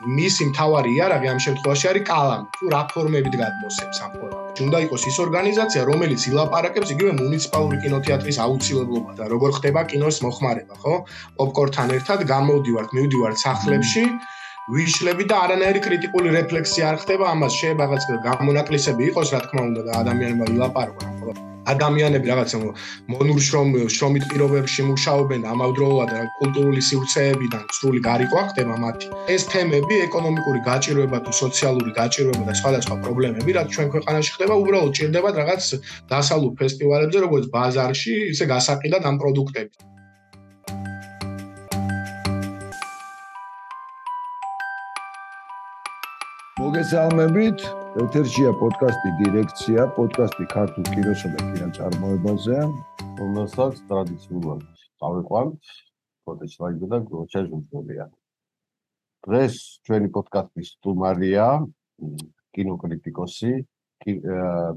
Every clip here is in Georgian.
მისი მთავარი იარაღი ამ შემთხვევაში არის კალამი, თუ რა ფორმებით გადმოსცემს ამ ფორმატში. უნდა იყოს ის ორგანიზაცია, რომელიც ილაპარაკებს იგივე მუნიციპალური კინოთეატრის აუცილებლობასთან, როგორ ხდება კინოს მოხმარება, ხო? პოპკორნთან ერთად მივდივართ სახლებში, ვიშლები და არანაირი კრიტიკული რეფლექსია არ ხდება ამას, შეიძლება რაღაც გამონაკლისები იყოს, რა თქმა უნდა, და ადამიანებმა ილაპარაკონ. ადამიანები რაღაცა მონურ შრომით პირობებში მუშაობენ, ამავდროულად კულტურული სივრცეებიდან სრული გარიყვა ხდება მათი. ეს თემები, ეკონომიკური გაჭირვება თუ სოციალური გაჭირვება და სხვადასხვა პრობლემები, რაც ჩვენ ქვეყანაში ხდება, უბრალოდ ჭირდებათ რაღაც დასავლურ ფესტივალებზე, როგორც ბაზარში, ისე გასაყიდად ამ პროდუქტები. მოგესალმებით, ეთერშია პოდკასტი დირექცია, პოდკასტი ქართულ კინოსა და კინოწარმოებაზე, რომელსაც ტრადიციულად წავიყვანთ ფოტოჩლაიდო და გროჩა ჟურნალია. დღეს ჩვენი პოდკასტის სტუმარია კინოკრიტიკოსი,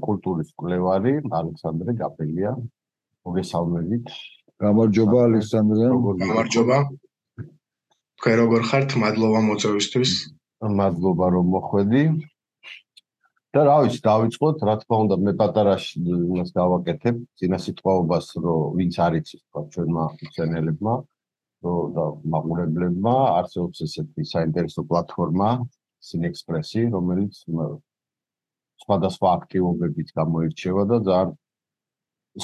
კულტურის მკვლევარი ალექსანდრე გაბელია. მოგესალმებით. გამარჯობა ალექსანდრე. გამარჯობა. თქვენ როგორ ხართ? მადლობა მოწვევისთვის. მადლობა რომ მოხვედი. და რა ვიცი, დავიწყოთ, რა თქმა უნდა, მე პატარაში იმას გავაკეთებ, წინა სიტყვაობას, რომ ვინც არ იცის, თქვა ჩვენმა მცენელებმა, და მაყურებლებმა, არსებობს ესეთი საინტერესო პლატფორმა, სინექსპრესი, რომელიც სხვადასხვა აქტივობებით გამოირჩევა და ძალიან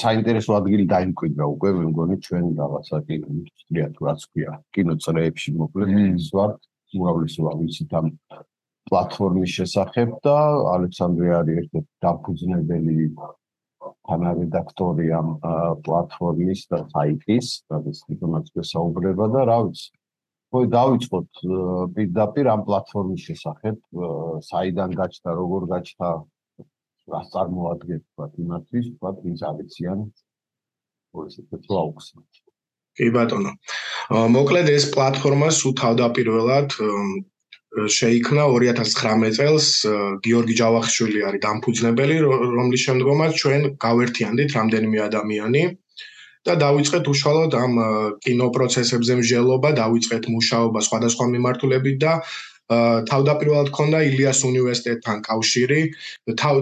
საინტერესო ადგილი დაიმკვიდრა უკვე, მე მგონი ჩვენ რაღაცა კინოინდუსტრია თუ რაც ქვია, კინოწრეებში მოკლედ ის ვარ. უმრავლესობა ვიცით ამ პლატფორმის შესახებ და ალექსანდრე არის ერთ-ერთი დამფუძნებელი თანარედაქტორი ამ პლატფორმის და საიტის, რაც თვითონაც გვესაუბრება და რა ვიცი. ხო, დავიწყოთ პირდაპირ ამ პლატფორმის შესახებ, საიდან გაჩნდა, როგორ გაჩნდა, რას წარმოადგენს, თქვა იმათთვის, თქვა ვინც არიციან ესეთ აუხსნათ. კი ბატონო. მოკლედ ეს პლატფორმა სულ თავდაპირველად შეიქმნა 2019 წელს. გიორგი ჯავახიშვილი არის დამფუძნებელი, რომლის შემდგომაც ჩვენ გავერთიანდით რამდენიმე ადამიანი და დავიწყეთ უშუალოდ ამ კინოპროცესებზე მსჯელობა, დავიწყეთ მუშაობა სხვადასხვა მიმართულებით და თავდაპირველად ქონდა ილიას უნივერსიტეტთან კავშირი.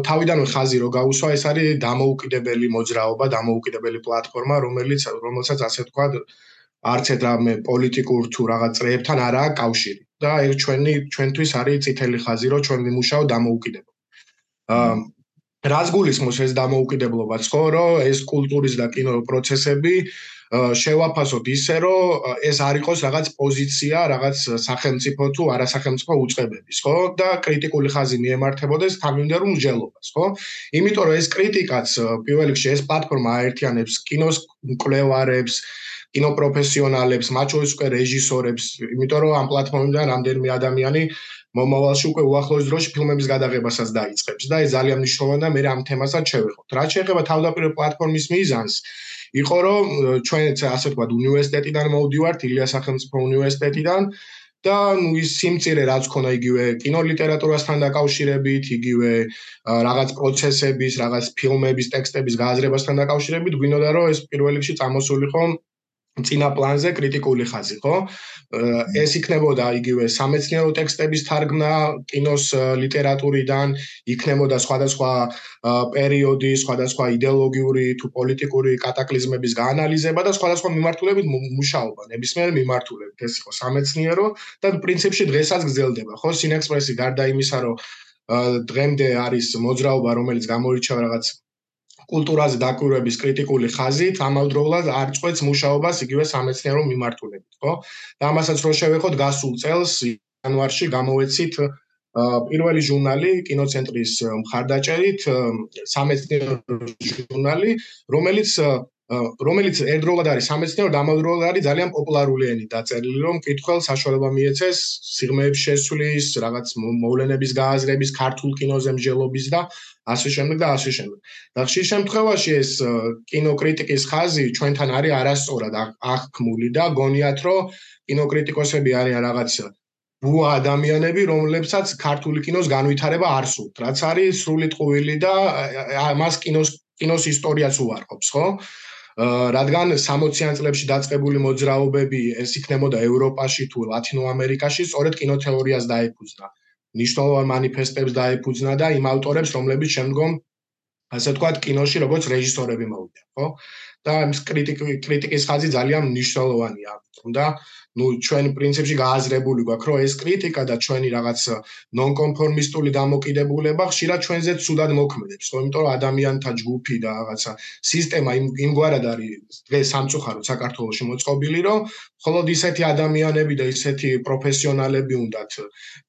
თავიდანვე ხაზი რო გაუსვა, ეს არის დამოუკიდებელი მოძრაობა, დამოუკიდებელი პლატფორმა, რომელსაც ასე თქვა არც რამე პოლიტიკურ თუ რაღაც წრეებთან არაა კავშირი. და ეს ჩვენთვის არის წითელი ხაზი, რომ ჩვენ ვიმუშაოთ დამოუკიდებლად. რას გულისხმობს ეს დამოუკიდებლობაც, ხო, რომ ეს კულტურის და კინო პროცესები შევაფასოთ ისე, რომ ეს არ იყოს რაღაც პოზიცია, რაღაც სახელმწიფო თუ არასახელმწიფო უწყებების, ხო? და კრიტიკული ხაზი მიემართებოდეს თანმიმდევრულ მსჯელობას, ხო? იმიტომ რომ ეს კრიტიკაც პირველ რიგში ეს პლატფორმა აერთიანებს კინოს მკვლევარებს, კინოპროფესიონალებს, მათ შორის უკვე რეჟისორებს, იმიტომ რომ ამ პლატფორმიდან რამდენიმე ადამიანი მომავალში უკვე უახლოეს დროში ფილმების გადაღებასაც დაიწყებს და ეს ძალიან მნიშვნელოვანია, მე ამ თემასაც შევეხოთ. რაც შეეხება თავდაპირველ პლატფორმის მიზანს, იყო რომ ჩვენც ასე ვთქვათ უნივერსიტეტიდან მოვდივართ, ილიას სახელმწიფო უნივერსიტეტიდან და ის სიმწირე რაც ქონა იგივე კინოლიტერატურასთან დაკავშირებით, იგივე რაღაც პროცესების, რაღაც ფილმების ტექსტების გააზრებასთან დაკავშირებით, გვინდოდა რომ ეს პირველ რიგში წამოსულიყო წინა პლანზე კრიტიკული ხაზი, ხო? ეს იქნებოდა იგივე სამეცნიერო ტექსტების თარგმნა კინოს ლიტერატურიდან, იქნებოდა სხვადასხვა პერიოდის, სხვადასხვა იდეოლოგიური თუ პოლიტიკური კატაკლიზმების გაანალიზება და სხვადასხვა მიმართულებით მუშაობა, ნებისმიერ მიმართულებით. ეს იყო სამეცნიერო და პრინციპში დღესაც გრძელდება, ხო? სინექსპრესი გარდა იმისა, რომ დღემდე არის მოძრაობა, რომელიც გამოირჩევა რაღაც კულტურაზე დაკვირვების კრიტიკული ხაზით, ამავდროულად არ წყვეტს მუშაობას იგივე სამეცნიერო მიმართულებით, ხო? და ამასაც რო შევეხოთ, გასულ წელს იანვარში გამოვეცით პირველი ჟურნალი კინოცენტრის მხარდაჭერით, სამეცნიერო ჟურნალი, რომელიც ერთდროულად არის სამეცნიერო და ამავდროულად არის ძალიან პოპულარული ენით დაწერილი, რომ მკითხველს საშუალება მიეცეს სიღრმეების შესვლის, რაღაც მოვლენების გააზრების, ქართულ კინოზე მსჯელობის და ასე შემდეგ და ასე შემდეგ. და ხშირ შემთხვევაში ეს კინოკრიტიკის ხაზი ჩვენთან არის არასწორად აღქმული და გონიათ, რომ კინოკრიტიკოსები არიან რაღაც ბუა ადამიანები, რომლებსაც ქართული კინოს განვითარება არ სურთ, რაც არის სრული ტყუილი და მას კინოს ისტორიაც უარყოფს, ხო? რადგან 60-იან წლებში დაწყებული მოძრაობები ეს იქნებოდა ევროპაში თუ ლათინო ამერიკაში, სწორედ კინოთეორიას დაეფუძნა. ნიშნულოვან მანიფესტებს დაეფუძნა და იმ ავტორებს, რომლებიც შემდგომ ასე ვთქვათ, კინოში როგორც რეჟისორები მოვიდნენ, ხო? და ეს კრიტიკის ხაზი ძალიან მნიშვნელოვანია. თუმცა, ჩვენ პრინციპში გააზრებული გვაქვს, რომ ეს კრიტიკა და ჩვენი რაღაც ნონკონფორმისტული დამოკიდებულება ხშირად ჩვენზე ცუდად მოქმედებს, ხო? იმიტომ რომ ადამიანთა ჯგუფი და რაღაცა სისტემა იმგვარად არის დღეს სამწუხაროდ საქართველოში მოწყობილი, რომ მხოლოდ ისეთი ადამიანები და ისეთი პროფესიონალები უნდათ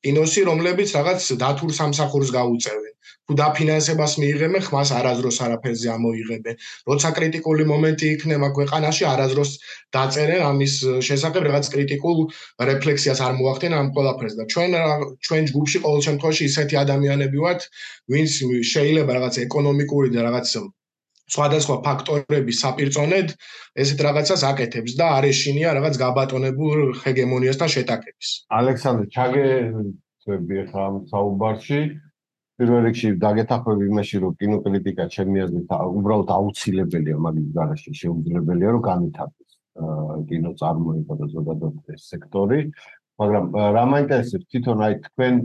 კინოში, რომლებიც რაღაც დათურ სამსახურს გაუწევენ. თუ დაფინანსებას მიიღებენ, ხმას არაზროს არაფერზე ამოიღებენ. როცა კრიტიკული მომენტი იქნება ქვეყანაში, არაზროს დაწერენ ამის შესახებ რაღაც კრიტიკულ რეფლექსიას არ მოახდენ ამ ყველაფერს და ჩვენ ჯგუფში ყოველ შემთხვევაში ისეთი ადამიანები ვართ, ვინც შეიძლება რაღაც ეკონომიკური და რაღაც სხვადასხვა ფაქტორების საპირწონედ ესეთ რაღაცას აკეთებს და არ ეშინია რაღაც გაბატონებულ ჰეგემონიასთან შეტაკების. ალექსანდრე, ჩაგეცვები ახლა ამ საუბარში. პირველ რიგში დაგეთახმები იმაში, რომ კინოკრიტიკა ჩემი აზრით უბრალოდ აუცილებელია მაგის გარეშე, შეუძლებელია რომ განვითარდეს კინოწარმოება და ზოგადად ეს სექტორი. მაგრამ რა მაინტერესებს თვითონ აი თქვენ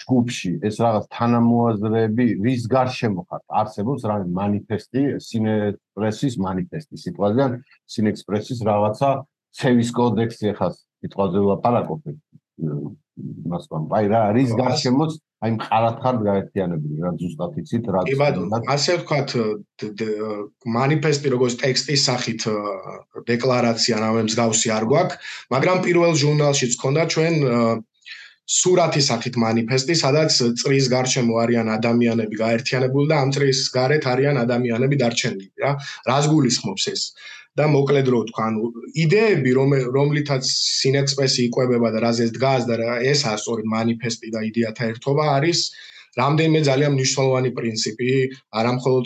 ჯგუფში ეს რაღაც თანამოაზრეები რის გარშემო ხართ? არსებობს რაღაც მანიფესტი, სინექსპრესის მანიფესტი, სიტყვაზე სინექსპრესის რაღაცა ცევის კოდექსი ახლა სიტყვაზე ვლაპარაკობ. მასთან აი რა რის გარშემოც აი მყარად ხარ გაერთიანებული რა ზუსტად იცით რა კი ბატონო ასე ვთქვათ მანიფესტი როგორც ტექსტის სახით დეკლარაცია რამე მსგავსი არ გვაქვს მაგრამ პირველ ჟურნალშიც ქონდა ჩვენ სურათის სახით მანიფესტი სადაც წრის გარშემო არიან ადამიანები გაერთიანებული და ამ წრის გარეთ არიან ადამიანები დარჩენილი რა რას გულისხმობს ეს და მოკლედ რო თქვა ანუ იდეები რომლითაც სინექსპრესი იკვებება და რაზეც დგას და ესაა სწორედ მანიფესტი და იდეათა ერთობა არის რამდენიმე ძალიან მნიშვნელოვანი პრინციპი არა მხოლოდ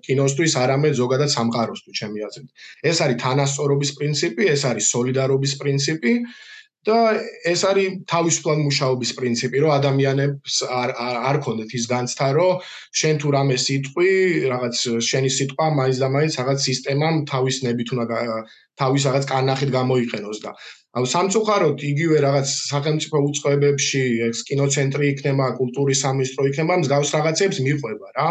კინოსთვის არამედ ზოგადად სამყაროსთვის ჩემი აზრით ეს არის თანასწორობის პრინციპი ეს არის სოლიდარობის პრინციპი და ეს არის თავისუფლად მუშაობის პრინციპი, რომ ადამიანებს არ ქონდეთ ის განცდა, რომ შენ თუ რამე სიტყვი, რაღაც შენი სიტყვა მაინც და მაინც რაღაც სისტემამ თავის ნებით უნდა თავის რაღაც კანახით გამოიყენოს და ანუ სამწუხაროდ იგივე რაღაც სახელმწიფო უწყებებში, ეს კინოცენტრი იქნება, კულტურის სამინისტრო იქნება, მსგავს რაღაცებს მიყვება რა.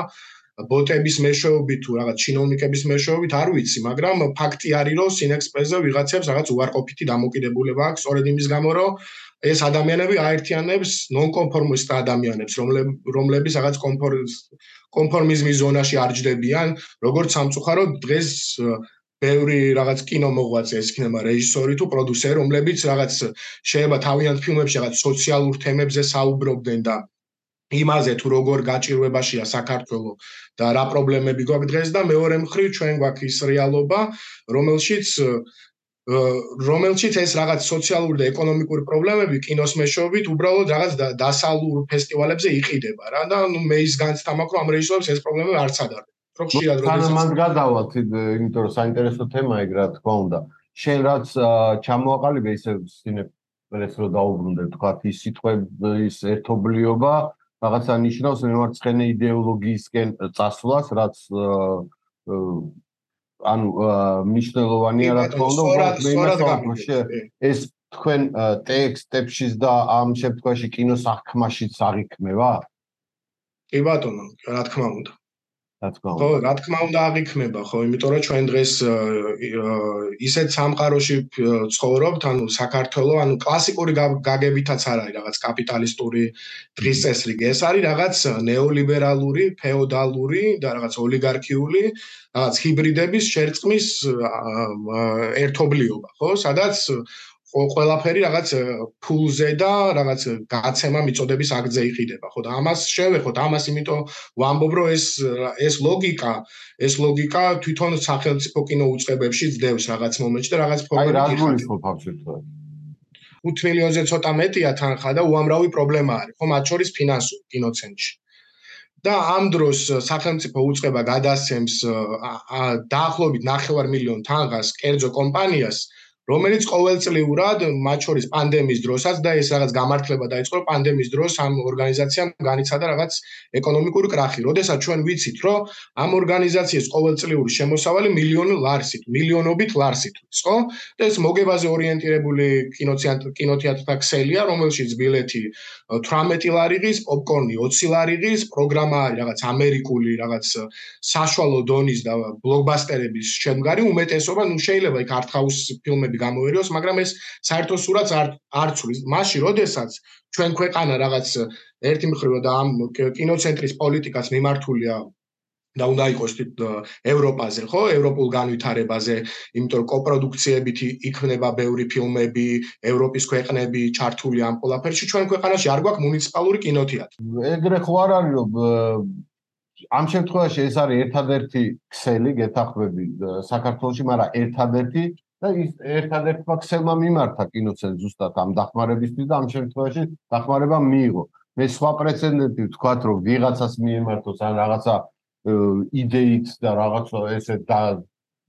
ბოტების მეშვეობით თუ რაღაც ჩინოვნიკების მეშვეობით არ ვიცი, მაგრამ ფაქტი არის, რომ სინექსპრესზე ვიღაცებს რაღაც უარყოფითი დამოკიდებულება აქვს, სწორედ იმის გამო, რომ ეს ადამიანები აერთიანებს ნონკონფორმისტ ადამიანებს, რომლებიც რაღაც კონფორმიზმის ზონაში არ ჯდებიან, როგორც სამწუხაროდ დღეს ბევრი რაღაც კინომოღვაწე ეს იქნება რეჟისორი თუ პროდიუსერი, რომლებიც რაღაც შეიძლება თავიანთ ფილმებში რაღაც სოციალურ თემებზე საუბრობდნენ და იმაზე თუ როგორ გაჭირვებაშია საქართველო და რა პრობლემები გვაქვს დღეს და მეორე მხრივ ჩვენ გვაქვს ის რეალობა, რომელშიც ეს რაღაც სოციალური და ეკონომიკური პრობლემები კინოს მეშვეობით უბრალოდ რაღაც დასალურ ფესტივალებზე იყიდება რა და მე ის განცდა მაქვს რომ ამ რეჟისორებს ეს პრობლემები არც ადარდება. რო ხშირად როდესაც მან გადავალთ, იმიტომ რომ საინტერესო თემაა ეგ რა თქმა უნდა. შენ რაც ჩამოაყალიბე ისე სინექსპრესს რო დაუბრუნდე, თქვა ის სიტყვების ერთობლიობა რაღაცა ნიშნავს მემარცხენე იდეოლოგიისკენ წასვლას, რაც ანუ მნიშვნელოვანია რა თქმა უნდა, ეს თქვენ ტექსტებშიც და ამ შემთხვევაში კინოსაქმაშიც აღიქმება? კი ბატონო, რა თქმა უნდა. ხო, რა თქმა უნდა აღიქმება, ხო, იმიტომ რომ ჩვენ დღეს ისეთ სამყაროში ცხოვრობთ, ანუ საქართველოს, ანუ კლასიკური გაგებითაც არ არის რაღაც კაპიტალისტური დღის წესრიგი, ეს არის რაღაც ნეოლიბერალური, феодаლური და რაღაც ოლიგარქიული, რაღაც ჰიბრიდების შერწყმის ერთობლიობა, ხო, სადაც ყველაფერი რაღაც ფულზე და რაღაც გაცემა მიწოდების აქტზე იყიდება, ხო და ამას შევეხოთ, ამას იმიტომ ვამბობ, რომ ეს ლოგიკა თვითონ სახელმწიფო კინოუწყებებში ძდევს რაღაც მომენტში და რაღაც ფორმებით აი რა გულისხმობ ამ შემთხვევაში? 5 მილიონზე ცოტა მეტია თანხა და უამრავი პრობლემა არის, ხო, მათ შორის ფინანსური კინოცენტრში. და ამ დროს სახელმწიფო უწყება გადასცემს დაახლოებით 9 მილიონ თანხას კერძო კომპანიას რომელიც ყოველწლიურად მათ შორის პანდემიის დროსაც და ეს რაღაც გამართლება დაიწყო პანდემიის დროს ამ ორგანიზაციამ განიცადა რაღაც ეკონომიკური კრახი. როდესაც ჩვენ ვიცით, რომ ამ ორგანიზაციის ყოველწლიური შემოსავალი მილიონობით ლარსით არის, ხო? და ეს მოგებაზე ორიენტირებული კინოთეატრთა ქსელია, რომელშიც ბილეთი 18 ლარი ღირს, პოპკორნი 20 ლარი ღირს, პროგრამა არის რაღაც ამერიკული, რაღაც საშუალო დონის და ბლოკბასტერების შემდგარი უმეტესობა, შეიძლება იქ არტ-ჰაუს ფილმები გამოერიოს, მაგრამ ეს საერთო სურათს არ ცვლის. მაშინ, როდესაც ჩვენ ქვეყანა რაღაც ერთი მხრივ და ამ კინოცენტრის პოლიტიკას მიმართულია და უნდა იყოს ევროპაზე, ხო? ევროპულ განვითარებაზე, იმიტომ რომ კოპროდუქციებით იქნება ბევრი ფილმები, ევროპის ქვეყნები ჩართული ამ ყველაფერში, ჩვენ ქვეყანაში არ გვაქვს მუნიციპალური კინოთეატრი. ეგრე ხო არ არის, რომ ამ შემთხვევაში ეს არის ერთადერთი ქსელი, გეთახმები საქართველოში, მაგრამ ერთადერთი და ის ერთადერთმა ქსელმა მიმართა კინოცენტრს ზუსტად ამ დახმარებისთვის და ამ შემთხვევაში დახმარება მიიღო. მე სხვა პრეცედენტი ვთქვათ, რომ ვიღაცას მიემართოს ან რაღაცა იდეით და რაღაცა ესე და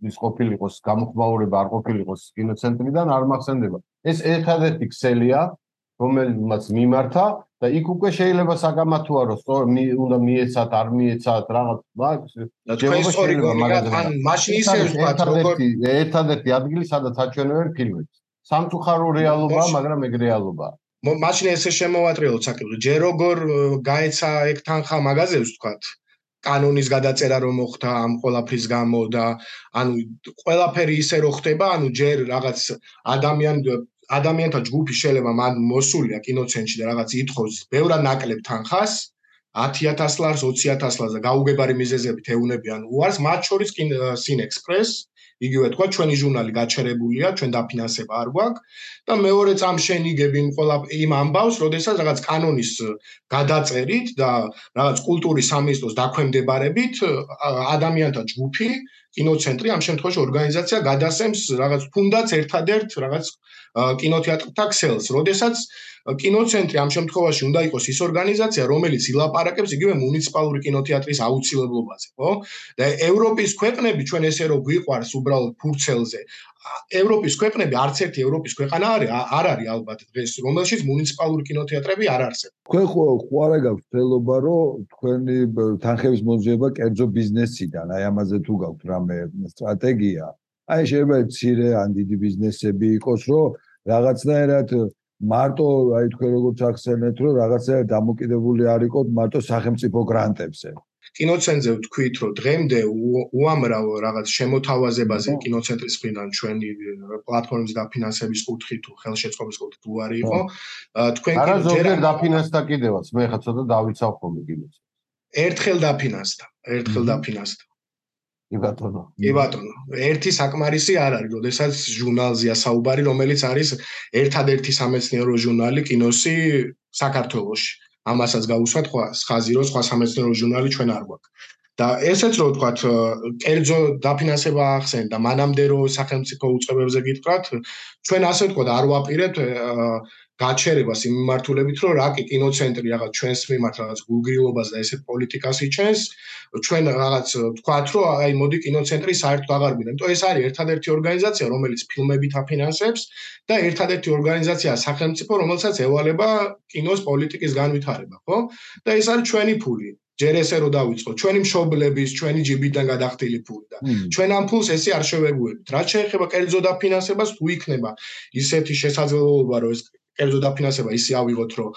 ის ყოფილიყოს გამოხმაურება არ ყოფილიყოს კინოცენტრიდან არ მახსენდება. ეს ერთადერთი ქსელია, რომელმაც მიმართა და იქ უკვე შეიძლება საგამართოა რომ სწორ უნდა მიეცათ, არ მიეცათ რაღაც და თქვენ სწორი გონია, ან მაშინ ისე ვთქვათ, როგორ ერთადერთი ადგილი, სადაც აჩვენებენ ფილმებს. სამწუხარო რეალობაა, მაგრამ ეგ რეალობაა. მაშინ ესე შემოვატრიალოთ საკითხი, ჯერ როგორ გაეცა ეგ თანხა მაღაზიებს ვთქვათ. კანონის გადაწერა რომ მოხდა ამ ყველაფრის გამო და ანუ ყველაფერი ისე რო ხდება, ანუ ჯერ რაღაც ადამიანთა ჯგუფი შეიძლება მან მოსულია კინოცენტრში და რაღაც ითხოვს ბევრად ნაკლებ თანხას 10,000 ლარს, 20,000 ლარს და გაუგებარი მიზეზებით ეუნებიან უარს, მათ შორის სინექსპრეს, იგივე თქვა ჩვენი ჟურნალი გაჩერებულია, ჩვენ დაფინანსება არ გვაქვს და მეორე წამს შენიგებ იმ ამბავს, როდესაც რაღაც კანონის გადაწერით და რაღაც კულტურის სამინისტროს დაქვემდებარებით ადამიანთა ჯგუფი, კინოცენტრი, ამ შემთხვევაში ორგანიზაცია გადასცემს რაღაც თუნდაც ერთადერთ რაღაც კინოთეატრთა ქსელს, როდესაც კინოცენტრი ამ შემთხვევაში უნდა იყოს ის ორგანიზაცია, რომელიც ილაპარაკებს იგივე მუნიციპალური კინოთეატრის აუცილებლობაზე, ხო? და ევროპის ქვეყნები ჩვენ ესე რომ გვიყვარს უბრალოდ ფურცელზე, ევროპის ქვეყნები არც ერთი ევროპის ქვეყანა არ არის ალბათ დღეს, რომელშიც მუნიციპალური კინოთეატრები არ არსებობს. თქვენ ხო არა გაქვთ ცელობა, რომ თქვენი თანხების მოძიება კერძო ბიზნესიდან, აი ამაზე თუ გაქვთ რამე სტრატეგია, აი შეიძლება მცირე ან დიდი ბიზნესები იყოს, რომ რაღაცნაირად მარტო აი თქვენ როგორც ახსენეთ, რომ რაღაცნაირად დამოკიდებული არ იყოთ მარტო სახელმწიფო გრანტებზე. კინოცენტრზე ვთქვით, რომ დღემდე უამრავ რაღაც შემოთავაზებაზე კინოცენტრის მხრიდან ჩვენი პლატფორმის დაფინანსების კუთხით თუ ხელშეწყობის კუთხით უარი იყო. თქვენ კი ჯერ დაფინანსდა კიდევაც, მე ხა ცოტა დავიცავ ხოლმე კინოს. ერთხელ დაფინანსდა. კი ბატონო. კი ბატონო. ერთი საკმარისი არ არის, როდესაც ჟურნალზეა საუბარი, რომელიც არის ერთადერთი სამეცნიერო ჟურნალი კინოსი საქართველოში. ამასაც გავუსვათ ხაზი, რომ სხვა სამეცნიერო ჟურნალი ჩვენ არ გვაქვს. და ესეც რო ვთქვათ, კერძო დაფინანსება ახსენეთ და მანამდე რო სახელმწიფო უწყებებზე გითხრათ, ჩვენ ასე ვთქვათ, არ ვაპირებთ გაჩერებას იმ მიმართულებით, რომ რა კი კინოცენტრი რაღაც ჩვენს მიმართ რაღაც გულგრილობას და ესეთ პოლიტიკას იჩენს, ჩვენ რაღაც ვთქვათ, რომ აი მოდი კინოცენტრი საერთოდ აღარ გვინდა. იმიტომ ეს არის ერთადერთი ორგანიზაცია, რომელიც ფილმებით აფინანსებს და ერთადერთი ორგანიზაცია სახელმწიფო, რომელსაც ევალება კინოს პოლიტიკის განვითარება, ხო? და ეს არის ჩვენი ფული. ჯერ ესე რომ დავიწყოთ, ჩვენი მშობლების, ჩვენი ჯიბიდან გადახდილი ფული და ჩვენ ამ ფულს ესე არ შევეგუებით. რაც შეეხება კერძო დაფინანსებას, თუ იქნება ისეთი შესაძლებლობა, რომ ეს კერძო დაფინანსება ისე ავიღოთ, რომ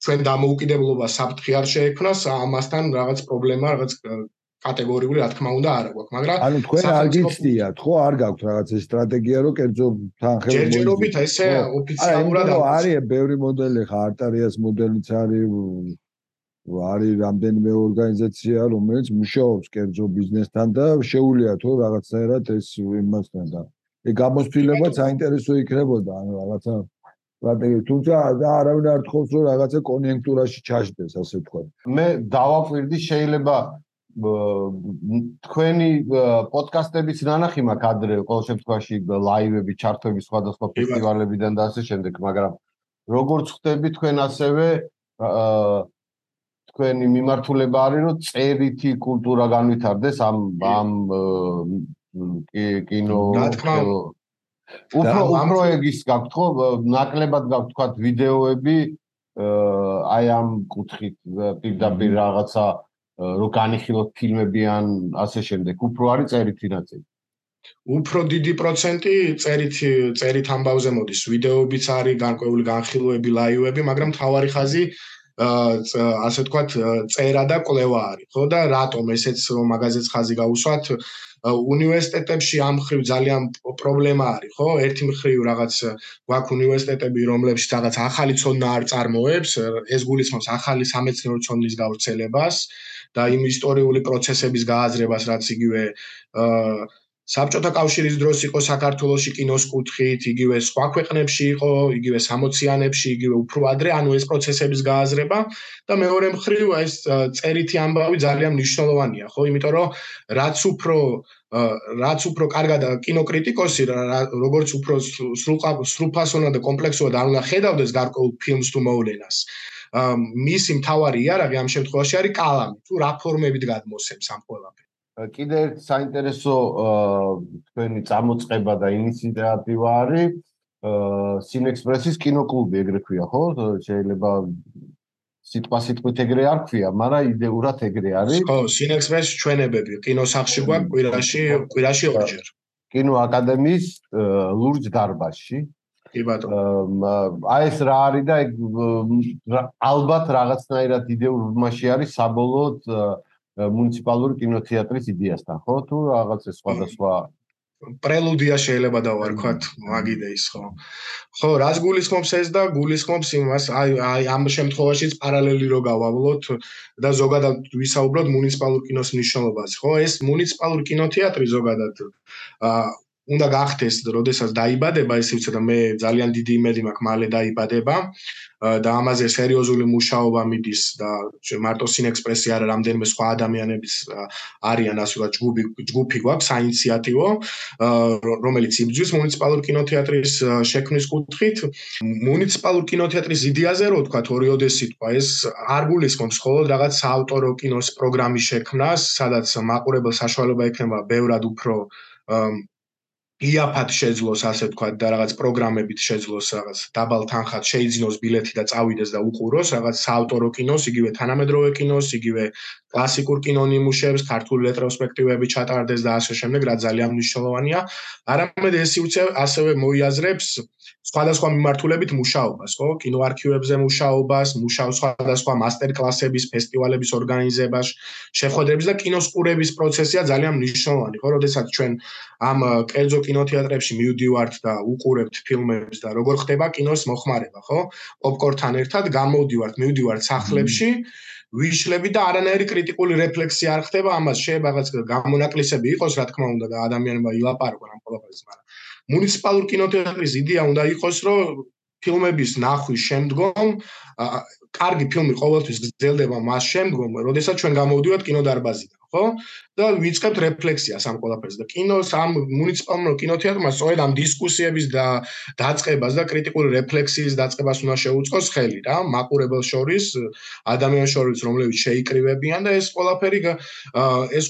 ჩვენ დამოუკიდებლობა საფრთხე არ შეექმნას, ამასთან რაღაც პრობლემა, რაღაც კატეგორიული, რა თქმა უნდა, არ აქვს, მაგრამ ანუ თქვენ არ გიცდიათ, ხო, არ გაქვთ რაღაც სტრატეგია, რომ კერძო თანხები ჯერჯერობით ესე ოფიციალურად არის ბევრი მოდელი, ხა არტარიას მოდელიც არის რამდენიმე ორგანიზაცია, რომელიც მუშაობს კერძო ბიზნესთან და შეუულია თუ რაღაცნაირად ეს იმასთან და გამოცდილებაც საინტერესო იქნებოდა, ანუ რაღაცა სტრატეგია, თუმცა არავინ არ თხოვს, რომ რაღაცა კონიუნქტურაში ჩაჯდეს, ასე ვთქვათ. მე დავაკვირდი, შეიძლება თქვენი პოდკასტების ნანახი მაქვს ადრე, ყოველ შემთხვევაში ლაივები, ჩარტები სხვადასხვა ფესტივალებიდან და ასე შემდეგ, მაგრამ როგორც ხვდები თქვენ ასევე თქვენი მიმართულება არის, რომ წერითი კულტურა განვითარდეს ამ კინო უფრო ეგის გაქვთ ხო, ნაკლებად გაქვთ თქვა ვიდეოები აი ამ კუთხით პირდაპირ რაღაცა რო განიხილოთ ფილმები ან ასე შემდეგ, უფრო არის წერითი ნაწილი. უფრო დიდი პროცენტი წერით ამბავზე მოდის, ვიდეოებიც არის, განკვეული განხილვები, ლაივები, მაგრამ მთავარი ხაზი ასე ვთქვათ, წერა და კვლევა არის, ხო და რატომ ესეც რომ მაგაზეც ხაზი გავუსვათ, უნივერსიტეტებში ამ მხრივ ძალიან პრობლემა არის, ხო? ერთი მხრივ რაღაც გვაქვს უნივერსიტეტები, რომლებშიც რაღაც ახალი ცოდნა არ წარმოებს, ეს გულისხმობს ახალი სამეცნიერო ცოდნის გავრცელებას და იმ ისტორიული პროცესების გააზრებას, რაც იგივე საბჭოთა კავშირის დროს იყო საქართველოში კინოს კუთხით, იგივე სხვა ქვეყნებში იყო, იგივე 60-იანებში, იგივე უფრო ადრე, ანუ ეს პროცესების გააზრება და მეორე მხრივ ეს წერითი ამბავი ძალიან მნიშვნელოვანია, ხო? იმიტომ რომ რაც უფრო კარგად კინოკრიტიკოსი, როგორც უფრო სრულფასოვნად და კომპლექსურად არ უნდა ხედავდეს გარკვეულ ფილმს თუ მოვლენას. მისი მთავარი იარაღი ამ შემთხვევაში არის კალამი, თუ რა ფორმებით გადმოსცემს ამ ყველაფერს. კიდევ ერთ საინტერესო თქვენი წამოწყება და ინიციატივა არის სინექსპრესის კინოკლუბი, ეგრე ქვია, ხო? შეიძლება სიტყვით ეგრე არ ქვია, მაგრამ იდეურად ეგრე არის. ხო, სინექსპრესის ჩვენებები კინოსახლში გვაქვს კვირაში ორჯერ. კინოაკადემიის ლურჯ დარბაზში. კი ბატონო. აი ეს რა არის და ალბათ რაღაცნაირად იდეურმაში არის საბოლოოდ მუნიციპალური კინოთეატრის იდეასთან, ხო? თუ რაღაც სხვადასხვა პრელუდია შეიძლება დავარქვათ მაგ იდეის, ხო? ხო, რას გულისხმობს ეს და გულისხმობს იმას, აი ამ შემთხვევაშიც პარალელი რო გავავლოთ და ზოგადად ვისაუბროთ მუნიციპალურ კინოს მნიშვნელობაზე, ხო? ეს მუნიციპალური კინოთეატრი ზოგადად უნდა გახდეს, როდესაც დაიბადება, ესე ვიცი და მე ძალიან დიდი იმედი მაქვს, მალე დაიბადება და ამაზე სერიოზული მუშაობა მიდის და მარტო სინექსპრესი არა, რამდენიმე სხვა ადამიანების არიან ასე ვთქვათ ჯგუფი გვაქვს საინიციატივო, რომელიც იბრძვის მუნიციპალურ კინოთეატრის შექმნის კუთხით. მუნიციპალურ კინოთეატრის იდეაზე რო ვთქვათ, ორიოდეს სიტყვა, ეს არ გულისხმობს მხოლოდ რაღაც საავტორო კინოს პროგრამის შექმნას, სადაც მაყურებელს საშუალება ექნება ბევრად უფრო იაფად შეძლოს, ასე ვთქვათ, და რაღაც პროგრამებით შეძლოს რაღაც დაბალ თანხად შეიძინოს ბილეთი და წავიდეს და უყუროს რაღაც საავტორო კინოს, იგივე თანამედროვე კინოს, იგივე კლასიკურ კინონიმუშებს, ქართული რეტროსპექტივები ჩატარდეს და ასე შემდეგ, რაც ძალიან მნიშვნელოვანია. არამედ ეს ასევე მოიაზრებს სხვადასხვა მიმართულებით მუშაობას, ხო? კინოარქივებზე მუშაობას, სხვადასხვა მასტერკლასების, ფესტივალების ორგანიზებას, შეხვედრების და კინოს ყურების პროცესია ძალიან მნიშვნელოვანი, ხო? როდესაც ჩვენ ამ კერძო კინოთეატრებში მივდივართ და უყურებთ ფილმებს და როგორ ხდება კინოს მოხმარება, ხო? პოპკორნთან ერთად მივდივართ სახლებში, ვიშლები და არანაირი კრიტიკული რეფლექსია არ ხდება ამას, შეიძლება რაღაც გამონაკლისები იყოს, რა თქმა უნდა, და ადამიანებმა ილაპარაკონ ამ ყველაფერზე, მაგრამ მუნიციპალურ კინოთეატრის იდეა უნდა იყოს, რომ ფილმების ნახვის შემდგომ კარგი ფილმი ყოველთვის გრძელდება მას შემდგომ, როდესაც ჩვენ გამოვდივართ კინოდარბაზიდან, ხო? და ვიწყებთ რეფლექსიას ამ ყველაფერზე. და კინოს ამ მუნიციპალურ კინოთეატრმა სწორედ ამ დისკუსიების და დაწყებას და კრიტიკული რეფლექსიის დაწყებას უნდა შეუწყოს ხელი რა, მაყურებელს შორის, ადამიანებს შორის, რომლებიც შეიკრივებიან და ეს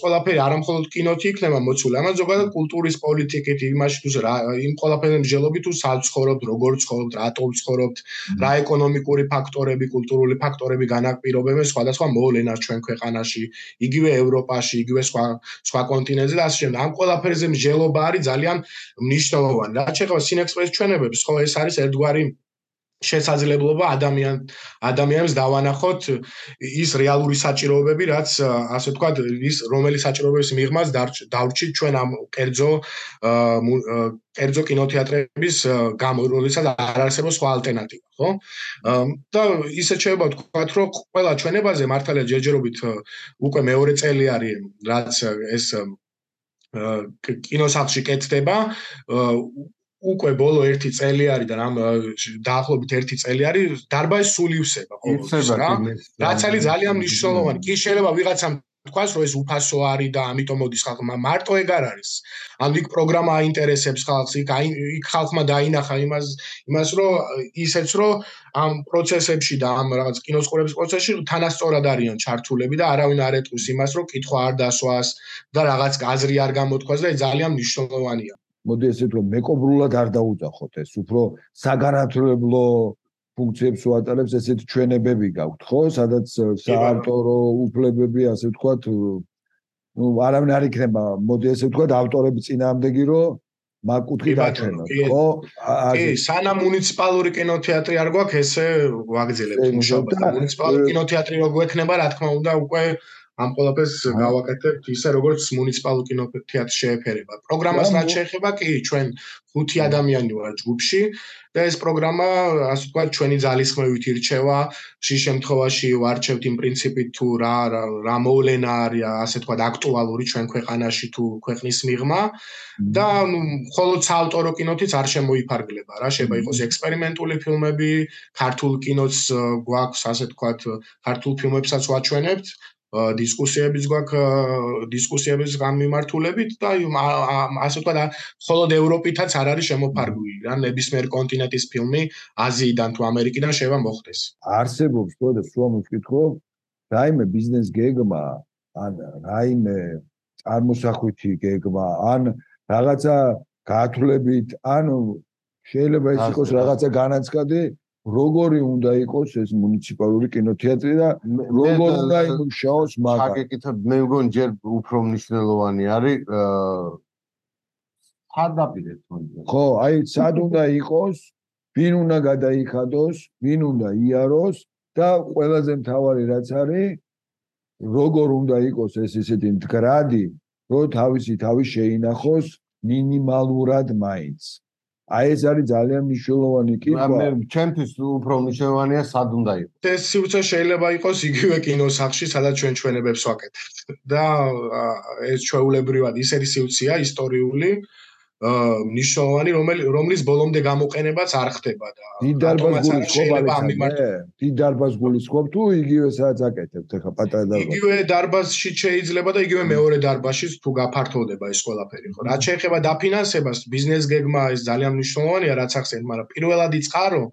ყველაფერი არა მხოლოდ კინოთი იქნება მოცული, ამას ზოგადად კულტურის პოლიტიკით, იმაში თუ იმ ყველაფერზე მსჯელობით თუ საცხოვრობთ, როგორ ცხოვრობთ, რატომ ცხოვრობთ, რა ეკონომიკური ფაქტორები, კულტურული ფაქტორები განაპირობებენ სხვადასხვა მოვლენას ჩვენ ქვეყანაში, იგივე ევროპაში, იგივე სხვა კონტინენტზე და ასე შემდეგ. ამ ყველაფერზე მსჯელობა არის ძალიან მნიშვნელოვანი. რაც შეეხება სინექსპრესის ჩვენებებს, ხო, ეს არის ერთგვარი შესაძლებლობა ადამიანებს დავანახოთ ის რეალური საჭიროებები, რაც ასე ვთქვათ, ის რომელი საჭიროებების მიღმას დავრჩით ჩვენ ამ კერძო კინოთეატრების გამო, როდესაც არ არსებობს სხვა ალტერნატივა, ხო? და ისეთ შეიძლება ვთქვათ, რომ ყველა ჩვენებაზე მართალია ჯერჯერობით უკვე მეორე წელი არის, რაც ეს კინოსახლში კეთდება. უკვე ბოლო 1 წელი არის და დაახლოებით 1 წელი არის დარბაზი სულ ივსება ყოველთვის რა. რაც არის ძალიან მნიშვნელოვანი. კი შეიძლება ვიღაცამ თქვას, რომ ეს უფასო არის და ამიტომ მოდის ხალხმა. მარტო ეგ არ არის. ან იქ პროგრამა აინტერესებს ხალხს, იქ ხალხმა დაინახა იმას, რომ ისეც რომ ამ პროცესებში და ამ რაღაც კინოს ყურების პროცესში თანასწორად არიან ჩართულები და არავინ არ ეტყვის იმას, რომ კითხვა არ დასვას და რაღაც აზრი არ გამოთქვას და ეს ძალიან მნიშვნელოვანია. მოდი ესე ვთქვა, მეკობრულად არ დაუძახოთ ეს, უფრო საგანათლებლო ფუნქციებს უატარებს ესეთი ჩვენებები გაქვთ, ხო? სადაც საავტორო უფლებები, ასე ვთქვათ, არავინ არ იქნება, მოდი ესე ვთქვათ, ავტორები წინააღმდეგი, რომ მაგ კუთხით აჩვენოთ, ხო? კი, სანამ მუნიციპალური კინოთეატრი არ გვაქვს, ესე ვაგრძელებთ მუშაობას. მუნიციპალური კინოთეატრი რო გვექნება, რა თქმა უნდა, უკვე ამ ყველაფერს გავაკეთებთ ისე, როგორც მუნიციპალურ კინოთეატრს შეეფერება. პროგრამას რაც შეეხება, კი, ჩვენ 5 ადამიანი ვარ ჯგუფში და ეს პროგრამა, ასე ვთქვათ, ჩვენი ძალისხმევით ირჩევა. შის შემთხვევაში ვარჩევთ იმ პრინციპით, თუ რა მოვლენა არის, ასე ვთქვათ, აქტუალური ჩვენ ქვეყანაში თუ ქვეყნის მიღმა და მხოლოდ საავტორო კინოთიც არ შემოიფარგლება რა, შეიძლება იყოს ექსპერიმენტული ფილმები, ქართულ კინოც გვაქვს, ასე ვთქვათ, ქართულ ფილმებსაც ვაჩვენებთ. დისკუსიებიც გვაქვს, დისკუსიების გამიმართულებით და ასე ვთქვათ, მხოლოდ ევროპითაც არ არის შემოფარგლული რა, ნებისმიერ კონტინენტის ფილმი აზიიდან თუ ამერიკიდან შეიძლება მოხდეს. არსებობს თქო სულ მოვკითხო, რაიმე ბიზნეს გეგმა, ან რაიმე წარმოსახვითი გეგმა, ან რაღაცა გათვლებით, ან შეიძლება ეს იყოს რაღაცა განაცხადი, როგორი უნდა იყოს ეს მუნიციპალური კინოთეატრი და როგორ უნდა იმუშაოს მაგა. გაკეთებ, მე მგონი ჯერ უფრო მნიშვნელოვანი არის ხარდაპირე თქონდა. ხო, აი სად უნდა იყოს, ვინ უნდა გადაიხადოს, ვინ უნდა იაროს და ყველაზე მთავარი რაც არის, როგორ უნდა იყოს ეს ისეთი მდგრადი, რომ თავისი თავი შეინახოს მინიმალურად მაინც. აი ეს არის ძალიან მნიშვნელოვანი კითხვა. მე ჩემთვის უფრო მნიშვნელოვანია სად უნდა იყოს. ეს სიუცე შეიძლება იყოს იგივე კინოსახლში, სადაც ჩვენ ჩვენებებს ვაკეთებთ. და ეს ჩვეულებრივად ისეთი სიუცეა ისტორიული, მნიშვნელოვანი, რომლის ბოლომდე გამოყენებაც არ ხდება და დიდ დარბაზს გულისხმობ თუ იგივე სადაც აკეთებთ ახლა პატარა დარბაზი. იგივე დარბაზში შეიძლება და იგივე მეორე დარბაზში თუ გაფართოვდება ეს ყველაფერი, ხო? რაც შეეხება დაფინანსებას, ბიზნეს გეგმა ეს ძალიან მნიშვნელოვანია, რაც ახსენეთ, მაგრამ პირველადი წყარო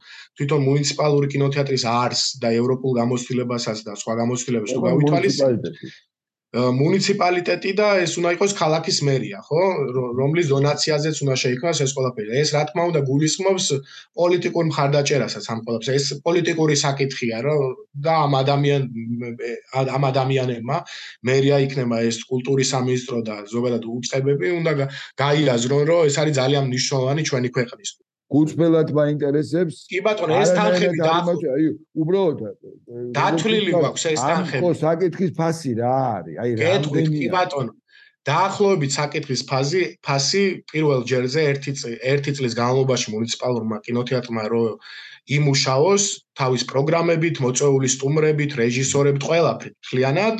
თვითონ მუნიციპალური კინოთეატრის არს და ევროპულ გამოცდილებასაც და სხვა გამოცდილებებს თუ გავითვალისწინებთ. მუნიციპალიტეტი და ეს უნდა იყოს ქალაქის მერია, ხო? რომლის დონაციაზეც უნდა შეიქმნას ეს ყველაფერი. ეს რა თქმა უნდა გულისხმობს პოლიტიკურ მხარდაჭერასაც ამ ყველაფერს. ეს პოლიტიკური საკითხია, რომ და ამ ადამიანებმა მერია იქნება ეს კულტურის სამინისტრო და ზოგადად უწყებები უნდა გაიაზრონ, რომ ეს არის ძალიან მნიშვნელოვანი ჩვენი ქვეყნისთვის. გულწრფელად მაინტერესებს. კი ბატონო, ეს თანხები აი, უბრალოდ დათვლილი გვაქვს ეს თანხები. ხო, საკითხის ფასი რა არის? აი, რამდენი? კი ბატონო. დაახლოებით საკითხის ფასი პირველ ჯერზე 1 წლის განმავლობაში მუნიციპალურმა კინოთეატრმა რომ იმუშაოს თავის პროგრამებით, მოწვეული სტუმრებით, რეჟისორებით, ყველაფრით. მთლიანად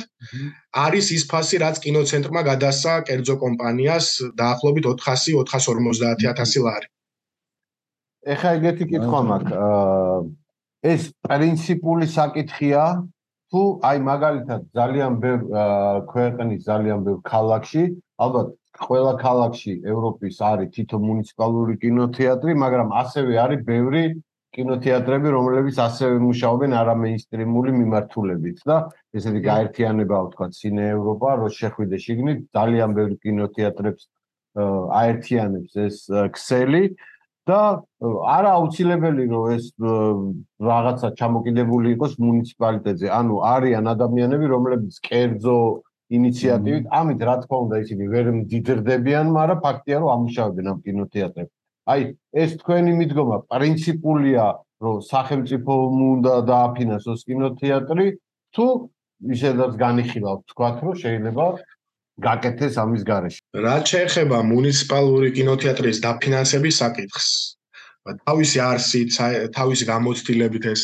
არის ის ფასი, რაც კინოცენტრმა გადასცა კერძო კომპანიას დაახლოებით 400-450,000 ლარი. ეხლა ეგეთი კითხვა მაქვს. ეს პრინციპული საკითხია თუ აი მაგალითად ძალიან ბევრ ქვეყნის ძალიან ბევრ ქალაქში, ალბათ ყველა ქალაქში ევროპის არის თითო მუნიციპალური კინოთეატრი, მაგრამ ასევე არის ბევრი კინოთეატრები, რომლებიც ასევე მუშაობენ არამეინსტრიმული მიმართულებით და ესეთი გაერთიანება ვთქვათ სინე ევროპა, რო შეხვიდე შიგნით ძალიან ბევრი კინოთეატრებს აერთიანებს ეს ქსელი და არა აუცილებელი რომ ეს რაღაცა ჩამოკიდებული იყოს მუნიციპალიტეტზე. ანუ არიან ადამიანები, რომლებიც კერძო ინიციატივით, ამით რა თქმა უნდა ისინი ვერ მდიდრდებიან, მაგრამ ფაქტია რომ ამუშავებენ ამ კინოთეატრებს. აი, ეს თქვენი მიდგომა პრინციპულია, რომ სახელმწიფო უნდა დააფინანსოს კინოთეატრი, თუ ისედაც განიხილავთ თქვათ, რომ შეიძლება გაკეთდეს ამის გარეშე. რაც შეეხება მუნიციპალური კინოთეატრის დაფინანსების საკითხს, თავისი არსით, თავისი გამოცდილებით ეს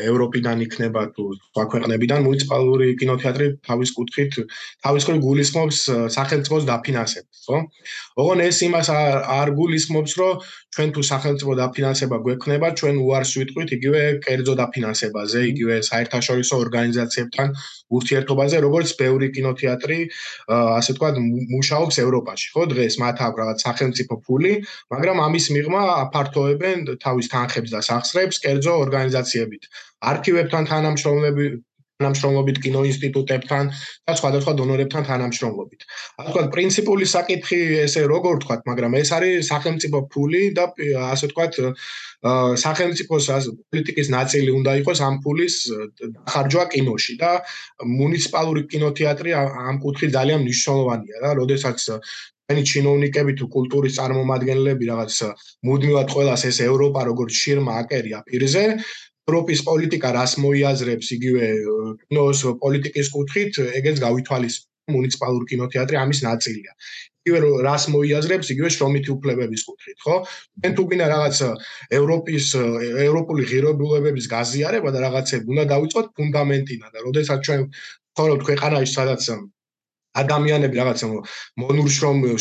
ევროპიდან იქნება თუ სხვა ქვეყნებიდან მუნიციპალური კინოთეატრი თავის კუთხით გულისხმობს სახელმწიფოს დაფინანსებას, ხო? ოღონ ეს იმას არ გულისხმობს, რომ ჩვენ თუ სახელმწიფო დაფინანსება გვექნება, ჩვენ უარს ვიტყვით იგივე კერძო დაფინანსებაზე, იგივე საერთაშორისო ორგანიზაციებთან ურთიერთობაზე, როგორც ბევრი კინოთეატრი, ასე ვთქვათ, მუშაობს ევროპაში, ხო? დღეს მათ აქვს რაღაც სახელმწიფო ფული, მაგრამ ამის მიღმა აფართოებენ თავის თანხებს და სახსრებს კერძო ორგანიზაციებით. არქივებთან თანამშრომლები თანამშრომლობით კინოინსტიტუტებთან და სხვადასხვა დონორებთან თანამშრომლობით. ასე ვთქვათ, პრინციპული საკითხი ესე როგორ ვთქვათ, მაგრამ ეს არის სახელმწიფო ფული და ასე ვთქვათ, სახელმწიფოს პოლიტიკის ნაწილი უნდა იყოს ამ ფულის დახარჯვა კინოში და მუნიციპალური კინოთეატრი ამ კუთხით ძალიან მნიშვნელოვანია და როდესაც ჩვენი ჩინოვნიკები თუ კულტურის წარმომადგენლები რაღაც მუდმივად ყველას ეს ევროპა როგორც შირმა აკერია პირზე ევროპის პოლიტიკა რას მოიაზრებს იგივე კინოს პოლიტიკის კუთხით ეგეც გავითვალისწინოთ მუნიციპალური კინოთეატრი ამის ნაწილია იგივე რას მოიაზრებს იგივე შრომითი უფლებების კუთხით ხო თქვენ თუ გინდა რაღაც ევროპული ღირებულებების გაზიარება და რაღაცები უნდა დავიწყოთ ფუნდამენტიდან და როდესაც ჩვენ ვცხოვრობთ ქვეყანაში სადაც ადამიანები რაღაც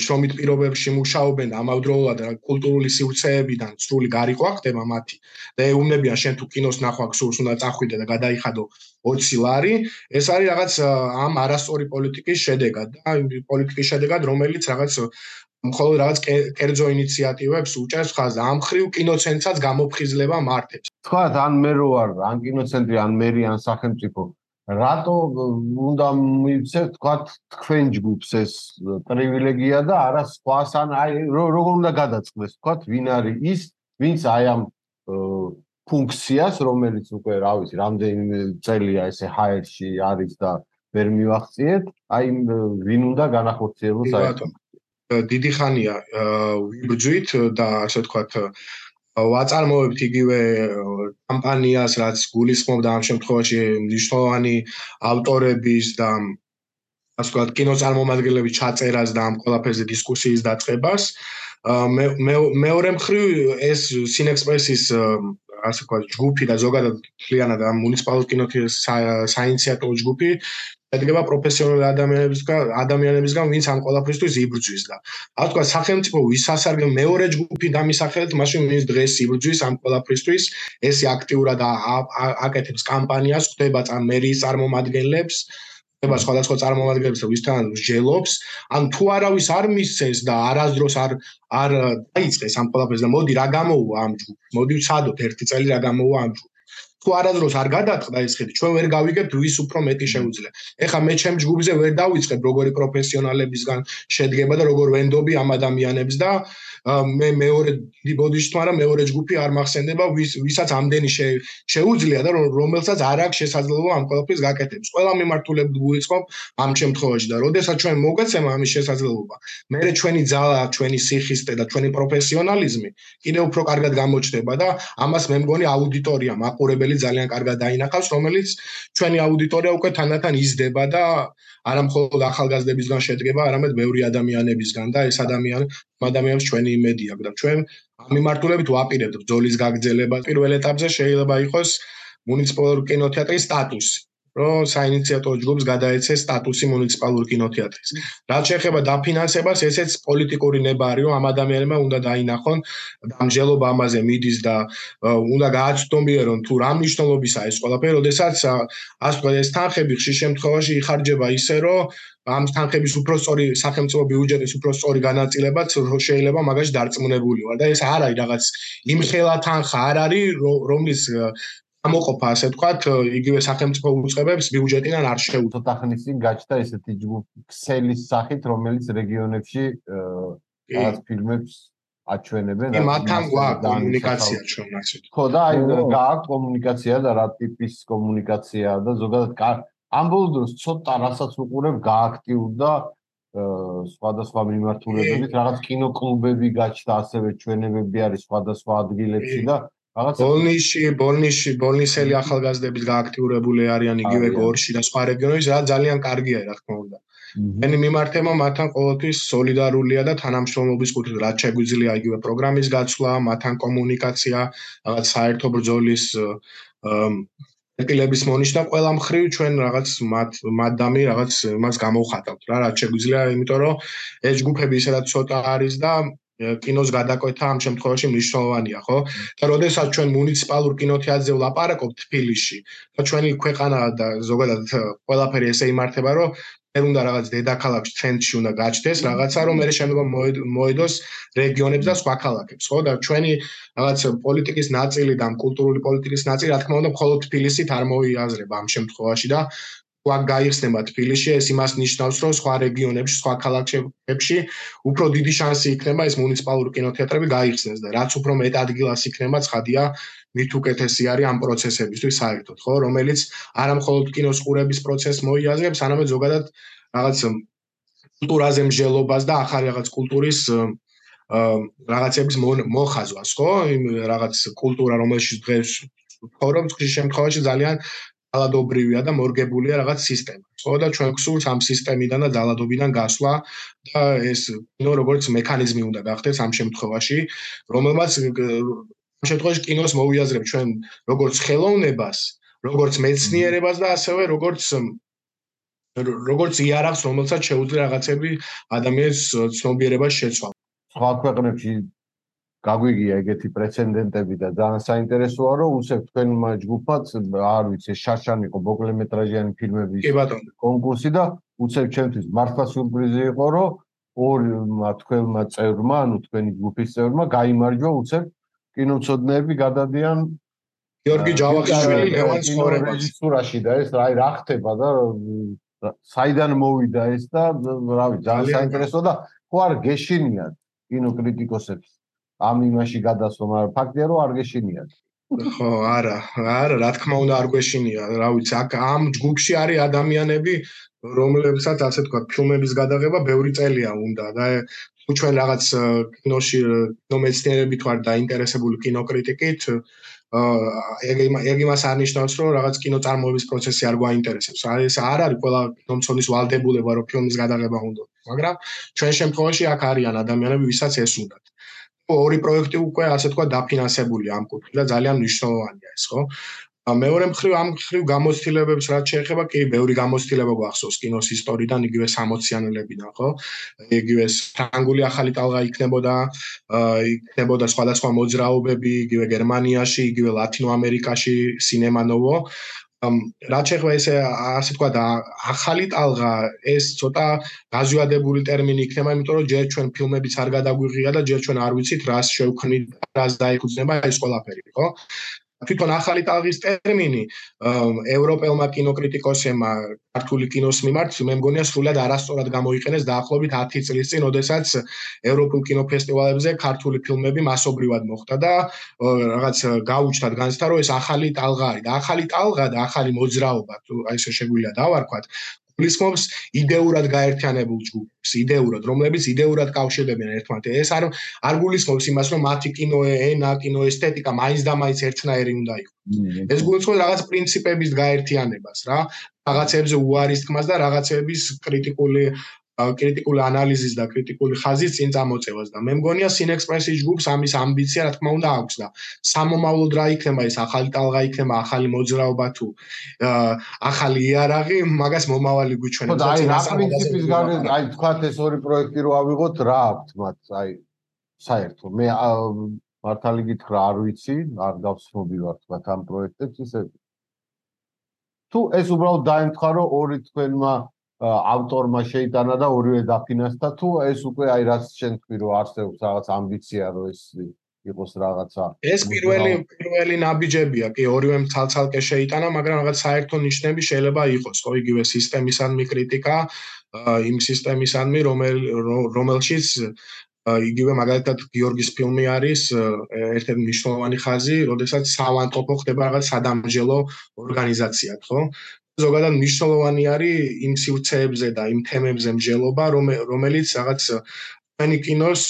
შრომით პირობებში მუშაობენ ამავდროულად კულტურული სივრცეებიდან სრული გარიყვა ხდება მათი და ეუბნებიან შენ თუ კინოს ნახვა გსურს უნდა წახვიდე და გადაიხადო 20 ლარი ეს არის რაღაც ამ არასწორი პოლიტიკის შედეგად და პოლიტიკის შედეგად რომელიც რაღაც მხოლოდ რაღაც კერძო ინიციატივებს უჭერს ხაზს ამ ხრივ კინოცენტრსაც გამოფხიზლება მართებს თქვა ან მე რო ვარ ან კინოცენტრი ან მერი ან სახელმწიფო რატო უნდა მივცეთ თქვა თქვენ ჯგუფს ეს პრივილეგია და არა სხვას ან აი როგორ უნდა გადაწყდეს თქვა ვინ არის ის ვინც აი ამ ფუნქციას რომელიც უკვე რა ვიცი რამდენი წელია ესე ჰაერში არის და ვერ მივახციეთ აი ვინ უნდა განახორციელოს აი დიდი ხანია ვიბრძვით და ასე ვთქვათ ვაწარმოებთ იგივე კამპანიას რაც გულისხმობდა ამ შემთხვევაში მნიშვნელოვანი ავტორების და ასე ვთქვათ კინოწარმომადგენლების ჩაწერას და ამ ყველაფერზე დისკუსიის დაწყებას მეორე მხრივ ეს სინექსპრესის ასე ვთქვათ ჯგუფი და ზოგადად მთლიანად ამ მუნიციპალურ კინოთეატრს საინიციატივო ჯგუფი ედგება პროფესიონალი ადამიანებისგან ვინც ამ ყველაფრისთვის იბრძვის და ასე ვთქვათ სახელმწიფო ვისასარგებლო მეორე ჯგუფი დამისახელეთ მაშინ ვინც დღეს იბრძვის ამ ყველაფრისთვის ეს აქტიურად აკეთებს კამპანიას ხდება მერიის წარმომადგენლებს ხდება სხვადასხვა წარმომადგენლებს ვისთან მსჯელობს ან თუ არავის არ მისცეს და არასდროს არ დაიწყეს ამ ყველაფერს და მოდი რა გამოუვა ამ ჯგუფს მოდი ვცადოთ ერთი წელი რა გამოუვა ამ ჯგუფს თუ არასდროს არ გადაწყდა ეს ხედი ჩვენ ვერ გავიგებთ ვის უფრო მეტი შეუძლია ეხლა მე ჩემ ჯგუფზე ვერ დავიწყებ როგორი პროფესიონალებისგან შედგება და როგორ ვენდობი ამ ადამიანებს და მე მეორე ბოდიში თვარა მეორე ჯგუფი არ მახსენდება ვისაც ამდენი შეუძლია და რომელსაც არ აქვს შესაძლებლობა ამ ყველაფრის გაკეთების ყველა მიმართულებით გულისხმობ ამ შემთხვევაში და როდესაც ჩვენ მოგეცემა ამის შესაძლებლობა მე ჩვენი ძალა ჩვენი სიხისტე და ჩვენი პროფესიონალიზმი კიდევ უფრო კარგად გამოჩნდება და ამას მე მგონი აუდიტორია მაყურებელი ძალიან კარგად დაინახავს რომელიც ჩვენი აუდიტორია უკვე თანდათან იზრდება და არა მხოლოდ ახალგაზრდებისგან შედგება არამედ ბევრი ადამიანებისგან და ეს ადამიანებს ჩვენი იმედი აქვს და ჩვენ ამ მიმართულებით ვაპირებთ ბრძოლის გაგრძელებას პირველ ეტაპზე შეიძლება იყოს მუნიციპალური კინოთეატრის სტატუსი რომ საინიციატივო ჯგუფს გადაეცეს სტატუსი მუნიციპალური კინოთეატრის. რაც შეეხება დაფინანსებას, ესეც პოლიტიკური ნებარი, რომ ამ ადამიანებმა უნდა დაინახონ დამჯელობა ამაზე მიდის და უნდა გააცნობიერონ თუ რა მნიშვნელობისაა ეს ყველაფერი, როდესაც ასე ვთქვათ, ეს თანხები ხშირ შემთხვევაში იხარჯება ისე, რომ ამ თანხების უფრო სწორი სახელმწიფო ბიუჯეტის უფრო სწორი განაწილებაც შეიძლება მაგაში დარწმუნებული ვარ და ეს არ არის რაღაც იმხელა თანხა არ არის რომლის ამოყოფა ასე ვთქვათ იგივე სახელმწიფო უწყებებს ბიუჯეტიდან არ შეუძლია. ცოტა ხნის წინ გაჩნდა ესეთი ქსელის სახით რომელიც რეგიონებში რაღაც ფილმებს აჩვენებენ და მათთან გვაქვს კომუნიკაცია ჩვენ ასე. ხო და აი გააქვს კომუნიკაცია და რა ტიპის კომუნიკაციაა და ზოგადად ამ ბოლო დროს ცოტა რასაც უყურებ გააქტიურდა სხვადასხვა მიმართულებებით რაღაც კინოკლუბები გაჩნდა ასევე ჩვენებები არის სხვადასხვა ადგილებში და ბოლნისელი ახალგაზრდების გააქტიურებული არიან იგივე გორში და სხვა რეგიონებში რა ძალიან კარგია რა თქმა უნდა. მენი მიმართება მათთან ყოველთვის სოლიდარულია და თანამშრომლობის კუთხით რაც შეგვიძლია იგივე პროგრამის გაცვლა, მათთან კომუნიკაცია, რაღაც საერთო ბრძოლის ეტილების მონიშნა ყველა მხრივ ჩვენ რაღაც მადამი რაღაც მას გამოვხატავთ რა რაც შეგვიძლია იმიტომ რომ ეს ჯგუფები ისედაც ცოტა არის და კინოს გადაკვეთა ამ შემთხვევაში მნიშვნელოვანია, ხო? და როდესაც ჩვენ მუნიციპალურ კინოთეატრზე ვლაპარაკობთ თბილისში და ჩვენი ქვეყანა და ზოგადად ყველაფერი ესე იმართება, რომ ვერ უნდა რაღაც დედაქალაქში ცენტრში უნდა გაჩნდეს რაღაცა, რომ მე შემდგომ მოედოს რეგიონებს და სხვა ქალაქებს, ხო? და ჩვენი რაღაც პოლიტიკის ნაწილი და კულტურული პოლიტიკის ნაწილი, რა თქმა უნდა, მხოლოდ თბილისით არ მოიაზრება ამ შემთხვევაში და აქ გაიხსნება თბილისში, ეს იმას ნიშნავს, რომ სხვა რეგიონებში, სხვა ქალაქებში უფრო დიდი შანსი იქნება ეს მუნიციპალური კინოთეატრები გაიხსნეს და რაც უფრო მეტ ადგილას იქნება, ცხადია, მით უკეთესი არის ამ პროცესებისთვის საერთოდ, ხო, რომელიც არა მხოლოდ კინოს ყურების პროცესს მოიაზრებს, არამედ ზოგადად რაღაც კულტურაზე მსჯელობას და ახალი რაღაც კულტურის რაღაცების მოხაზვას, ხო? იმ რაღაც კულტურა, რომელშიც დღეს ცხოვრობს, ხშირ შემთხვევაში ძალიან ძალადობრივია და მორგებულია რაღაც სისტემა. ხო და ჩვენ გვსურს ამ სისტემიდან და ძალადობიდან გასვლა და ეს კინო როგორც მექანიზმი უნდა გახდეს ამ შემთხვევაში, რომელმაც ამ შემთხვევაში კინოს მოვიაზრებ ჩვენ როგორც ხელოვნებას, როგორც მეცნიერებას და ასევე როგორც იარაღს, რომელსაც შეუძლია რაღაცები ადამიანის ცნობიერებას შეცვალოს. სხვა ქვეყნებში გაგვიგია ეგეთი პრეცედენტები და ძალიან საინტერესოა, რომ უსევ თქვენმა ჯგუფად, არ ვიცი, შაშანი იყო მოკლემეტრაჟიანი ფილმების კონკურსი და უსევ ჩემთვის მართლა სიურპრიზი იყო, რომ ორმა თქვენმა წევრმა, ანუ თქვენი ჯგუფის წევრმა გაიმარჯვა უსევ კინომცოდნეები გადადიან გიორგი ჯავახიშვილი ლევან ცხოვრებას რეჟისურაში და ეს რა ხდება და საიდან მოვიდა ეს და რა ვიცი, ძალიან საინტერესოა და ხო არ გეშინიათ კინოკრიტიკოსებს ამ იმაში გადასვლა, მაგრამ ფაქტია რომ არ გეშინიათ. ხო, არა, რა თქმა უნდა არ გვეშინია, რა ვიცი, აქ ამ ჯგუფში არის ადამიანები, რომლებსაც ასე თქვა, ფილმების გადაღება ბევრი წელია უნდა და თუ ჩვენ რაღაც კინოში კინომეცნიერებით ვარ დაინტერესებული კინოკრიტიკით, ეგ იმას არნიშნავს, რომ რაღაც კინოწარმოების პროცესი არ გვაინტერესებს. ეს არ არის ყველა კინომცოდნის ვალდებულება, რომ ფილმის გადაღება უნდა, მაგრამ ჩვენ შემთხვევაში აქ არიან ადამიანები, ვისაც ეს უნდათ. ორი პროექტი უკვე ასე თქვა დაფინანსებულია ამ კუთხით და ძალიან მნიშვნელოვანია ეს, ხო? მეორე მხრივ ამ მხრივ გამოცდილებებს რაც შეეხება, კი, ბევრი გამოცდილება გვახსოვს კინოს ისტორიიდან, იგივე 60-იანებიდან, ხო? იგივე ფრანგული ახალი ტალღა იქნებოდა სხვადასხვა მოძრაობები, იგივე გერმანიაში, იგივე ლათინო ამერიკაში სინემა ნოვო. რაც შეეხება ესე ასე თქვა და ახალი ტალღა ეს ცოტა გაზვიადებული ტერმინი იქნება, იმიტომ რომ ჯერ ჩვენ ფილმებიც არ გადაგვიღია და ჯერ ჩვენ არ ვიცით რას შევქმნით, რას დაეკუთვნება ეს ყველაფერი, ხო? თვითონ ახალი ტალღის ტერმინი ევროპელმა კინოკრიტიკოსებმა ქართული კინოს მიმართ მე მგონია სრულად არასწორად გამოიყენეს დაახლოებით 10 წლის წინ, როდესაც ევროპულ კინოფესტივალებზე ქართული ფილმები მასობრივად მოხვდა და რაღაც გაუჩნდათ განცდა, რომ ეს ახალი ტალღა არის და ახალი ტალღა და ახალი მოძრაობა, თუ აი ესე შეგვიძლია დავარქვათ, გულისხმობს იდეურად გაერთიანებულ ჯგუფს, იდეურად, რომლებიც იდეურად კავშირდებიან ერთმანეთთან. ეს არ გულისხმობს იმას, რომ მათი კინოენა, კინოესთეტიკა მაინც და მაინც ერთნაირი უნდა იყოს. ეს გულისხმობს რაღაც პრინციპების გაერთიანებას, რა, რაღაცებზე უარის თქმას და რაღაცების კრიტიკული ანალიზის და კრიტიკული ხაზის წინ წამოწევას და მე მგონია სინექსპრესის ჯგუფს ამის ამბიცია რა თქმა უნდა აქვს და სამომავლოდ რა იქნება ეს ახალი ტალღა იქნება, ახალი მოძრაობა თუ ახალი იარაღი, მაგას მომავალი გვიჩვენებს. აი რა პრინციპის გარდა, აი თქვათ ეს ორი პროექტი რო ავიღოთ, რა აქვთ მათ, აი საერთო. მე მართალი გითხრა არ ვიცი, არ გავცნობი ვარ თქვათ ამ პროექტებს ისე. თუ ეს უბრალოდ დაემთხვა რომ ორი თქვენმა ავტორმა შეიტანა და ორივე დაფინანსდა, თუ ეს უკვე აი რაც შენ თქვი რომ არსებობს რაღაც ამბიცია რომ ეს იყოს რაღაცა. ეს პირველი ნაბიჯებია, კი, ორივემ ცალ-ცალკე შეიტანა, მაგრამ რაღაც საერთო ნიშნები შეიძლება იყოს, ხო, იგივე სისტემისადმი კრიტიკა, იმ სისტემისადმი, რომელშიც იგივე მაგალითად გიორგის ფილმი არის ერთ-ერთი მნიშვნელოვანი ხაზი, როდესაც საავადმყოფო ხდება რაღაც სადამსჯელო ორგანიზაციად, ხო? ზოგადად მნიშვნელოვანი არის იმ სივრცეებზე და იმ თემებზე მსჯელობა, რომელიც რაღაც ჩვენი კინოს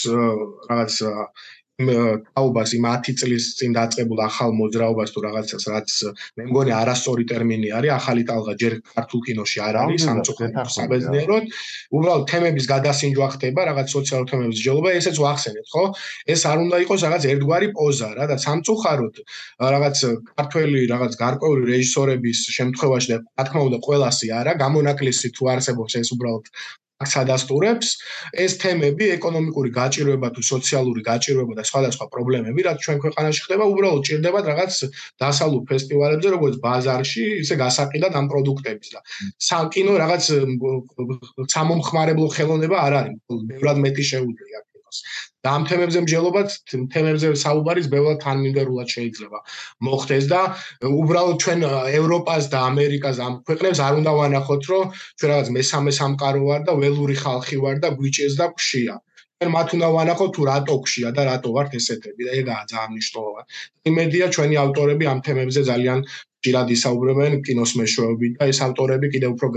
რაღაც თაობას იმ 10 წლის წინ დაწყებულ ახალ მოძრაობას თუ რაღაცას, რაც მე მგონი არასწორი ტერმინი არის, ახალი ტალღა ჯერ ქართულ კინოში არ არის, სამწუხაროდ საბერძნიეროდ, უბრალოდ თემების გადასინჯვა ხდება, რაღაც სოციალურ თემების მსჯელობა, ესეც ვახსენეთ, ხო? ეს არ უნდა იყოს რაღაც ერთგვარი პოზა რა და სამწუხაროდ რაღაც ქართველი რაღაც გარკვეული რეჟისორების შემთხვევაში და რა თქმა უნდა ყველასი არა, გამონაკლისი თუ არსებობს ეს უბრალოდ სადასტურებს ეს თემები ეკონომიკური გაჭირვება თუ სოციალური გაჭირვება და სხვადასხვა პრობლემები რაც ჩვენ ქვეყანაში ხდება უბრალოდ ჭირდებათ რაღაც დასალუ ფესტივალებზე როგორც ბაზარში ისე გასაყიდად ამ პროდუქტების და საკინო რაღაც სამომხმარებლო ხელოვნება არ არის ბევრად მეტი შეუძლია და ამ თემებზე მსჯელობაც თემებზე საუბარის ბევრად თანმიმდევრულად შეიძლება მოხდეს და უბრალოდ ჩვენ ევროპას და ამერიკას ამ ქვეყნებს არ უნდა ვანახოთ რომ ჩვენ რაღაც მესამე სამყარო ვარ და ველური ხალხი ვარ და გვიჭეს და გშია ჩვენ მათ უნდა ვანახოთ თუ რატო გშია და რატო ვართ ესეთები და ეგაა ძალიან მნიშვნელოვანი იმედია ჩვენი ავტორები ამ თემებზე ძალიან ხშირად ისაუბრებენ კინოს მეშვეობით და ეს ავტორები კიდევ უფრო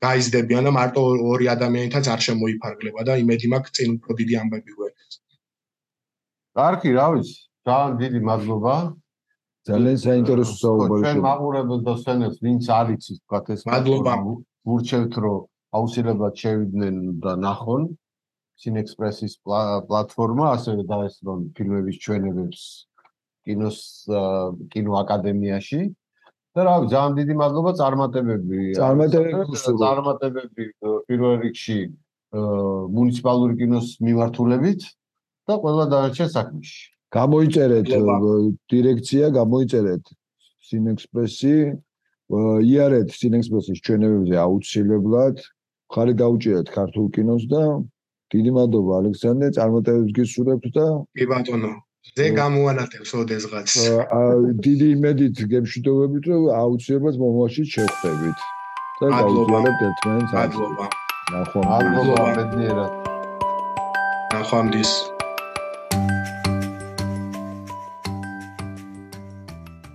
გაიზრდებიან და მარტო ორი ადამიანითაც არ შემოიფარგლება და იმედი მაქვს წინ უფრო დიდი ამბები გვერდს კარგი, რა ვიცი, ძალიან დიდი მადლობა. ძალიან საინტერესო საუბარი. ჩვენ მაყურებელს და სცენებს ვინც არ იცის, თქვათ ეს მადლობა. ვურჩევთ, რომ აუცილებლად შევიდნენ და ნახონ Cinexpress-ის პლატფორმა, ასევე დაესწრონ ფილმების ჩვენებებს კინოაკადემიაში. და რა ვიცი, ძალიან დიდი მადლობა წარმატებები. წარმატებები პირველ რიგში მუნიციპალური კინოს მიმართულებით. და ყველა დანარჩენ საქმეში. გამოიწერეთ დირექცია, გამოიწერეთ Cinexpress-ი, იარეთ Cinexpress-ის ჩვენებებზე აუცილებლად, ხარი დაუჭირეთ ქართულ კინოს და დიდი მადლობა ალექსანდრე, წარმატებებს გისურვებთ და კი ბატონო, ზე გამოანათებს ოდესღაც. დიდი იმედით გემშვიდობებით, რომ აუცილებლად მომავალში შევხვდებით. და გავუძიარებთ ერთმანეთს. მადლობა. მადლობა ბედნიერად. ნახვამდის.